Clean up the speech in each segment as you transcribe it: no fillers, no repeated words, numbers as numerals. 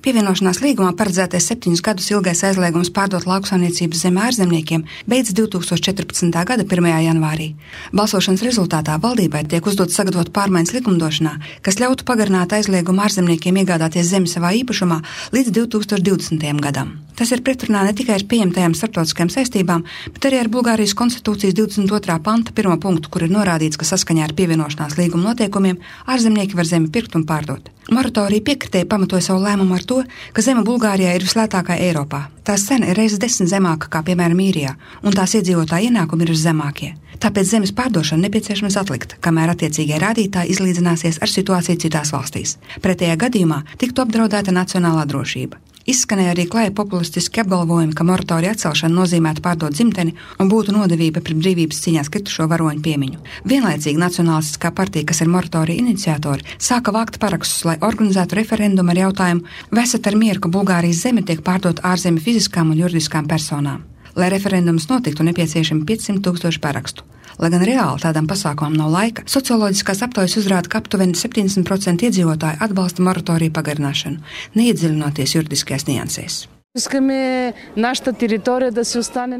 Pievienošanās līgumā paredzētais 7 gadus ilgais aizliegums pārdot lauksaimniecības zemi ārzemniekiem beidz 2014. gada 1. janvārī. Balsošanas rezultātā valdībai tiek uzdots sagatavot pārmaiņas likumdošanā, kas ļautu pagarināt aizliegumu ārzemniekiem iegādāties zemi savā īpašumā līdz 2020. gadam. Tas ir pretrunā ne tikai ar pieņemtajām starptautiskajām saistībām, bet arī ar Bulgārijas konstitūcijas 22. panta 1. punktu, kur ir norādīts, ka saskaņā ar pievienošanās līguma noteikumiem ārzemnieki var zemi pirkt un pārdot. Moratorija piekritēji pamatoja savu lēmumu ar to, ka zeme Bulgārijā ir vislētākā Eiropā. Tās cena ir reizes 10 zemāka kā, piemēram, Īrijā, un tās iedzīvotāju ienākumi ir viszemākie. Tāpēc zemes pārdošana nepieciešams atlikt, kamēr attiecīgie rādītāji izlīdzināsies ar situāciju citās valstīs. Pretējā gadījumā tiktu apdraudēta nacionālā drošība. Izskanēja arī klāja populistiski apgalvojumi, ka moratorija atcelšana nozīmētu pārdot dzimteni un būtu nodevība pret brīvības cīņās kritušo varoņu piemiņu. Vienlaicīgi Nacionālistiskā partija, kas ir moratorija iniciatori, sāka vākt parakstus, lai organizētu referendumu ar jautājumu, vai esat ar mieru, ka Bulgārijas zeme tiek pārdot ārzemju fiziskām un juridiskām personām. Lai referendums notiktu, nepieciešami 500 000 parakstu. Lai gan reāli tādam pasākumam nav laika, socioloģiskās aptaujas uzrāda, ka aptuveni 70% iedzīvotāji atbalsta moratoriju pagarināšanu, neiedziļinoties juridiskajās niansēs.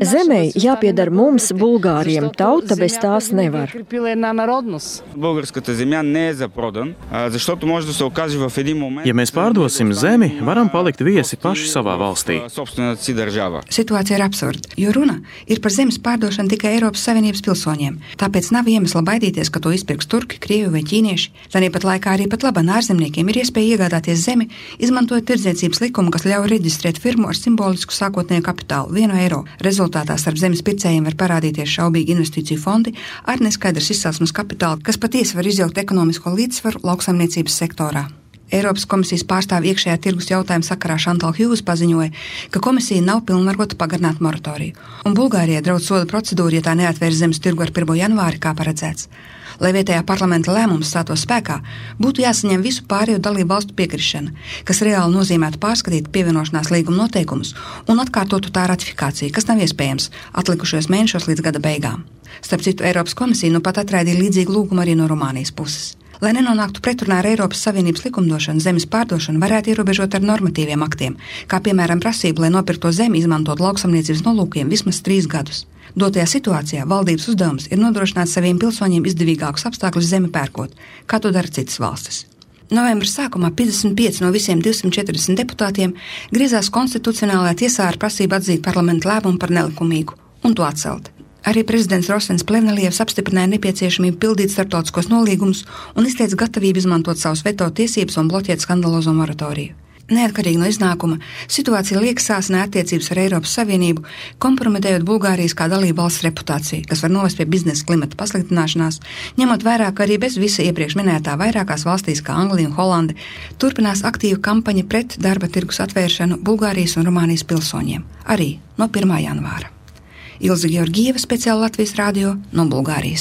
Zemei jāpieder mums, Bulgāriem. Tauta bez tās nevar. Ja mēs pārdosim zemi, varam palikt viesi paši savā valstī. Situācija ir absurda, jo runa ir par zemes pārdošanu tikai Eiropas Savienības pilsoņiem. Tāpēc nav iemesla baidīties, ka to izpirks turki, krievi vai ķīnieši. Tāpat laikā arī pat labi ārzemniekiem ir iespēja iegādāties zemi, izmantojot tirdzniecības likumu, kas ļauj reģistrēt firmu ar simbolisku sākotnēju kapitālu 1 eiro. Rezultātā starp zemes pircējiem var parādīties šaubīgi investīciju fondi ar neskaidras izcelsmes kapitālu, kas patiesi var izjaukt ekonomisko līdzsvaru lauksaimniecības sektorā. Eiropas komisijas pārstāve iekšējā tirgus jautājuma sakarā Šantal Hjūs paziņoja, ka komisija nav pilnvarota pagarināt moratoriju, un Bulgārijai draud soda procedūra, ja tā neatvērs zemes tirgu ar 1. janvāri, kā paredzēts. Lai vietējā parlamenta lēmums stātos spēkā, būtu jāsaņem visu pārējo dalību valstu piekrišana, kas reāli nozīmētu pārskatīt pievienošanās līguma noteikumus un atkārtotu tā ratifikāciju, kas nav iespējams atlikušajos mēnešos līdz gada beigām. Starp citu, Eiropas komisija nu pat atraidīja līdzīgu lūgumu arī no Rumānijas puses. Lai nenonāktu pretrunā ar Eiropas Savienības likumdošanu, zemes pārdošanu varētu ierobežot ar normatīviem aktiem, kā piemēram prasību, lai nopirkto zemi izmantot lauksaimniecības nolūkiem vismaz 3 gadus. Dotajā situācijā valdības uzdevums ir nodrošināt saviem pilsoņiem izdevīgākus apstākļus zemi pērkot, kā to dara citas valstis. Novembra sākumā 55 no visiem 240 deputātiem griezās konstitucionālajā tiesā ar prasību atzīt parlamenta lēmumu par nelikumīgu un to atcelt. Arī prezidents Rosens Plevnelievs apstiprināja nepieciešamību pildīt starptautiskos nolīgumus un izteica gatavību izmantot savus veto tiesības un bloķēt skandalozo moratoriju. Neatkarīgi no iznākuma, situācija liek sāsināt attiecības ar Eiropas Savienību, kompromitējot Bulgārijas kā dalību valsts reputāciju, kas var novest pie biznesa klimata pasliktināšanās, ņemot vērā, ka arī bez visa iepriekš minētā vairākās valstīs kā Anglija un Holande turpinās aktīva kampaņa pret darba tirgus atvēršanu Bulgārijas un Rumānijas pilsoņiem, arī no 1. janvāra. Ilze Georgieva, speciāli Latvijas radio no Bulgārijas.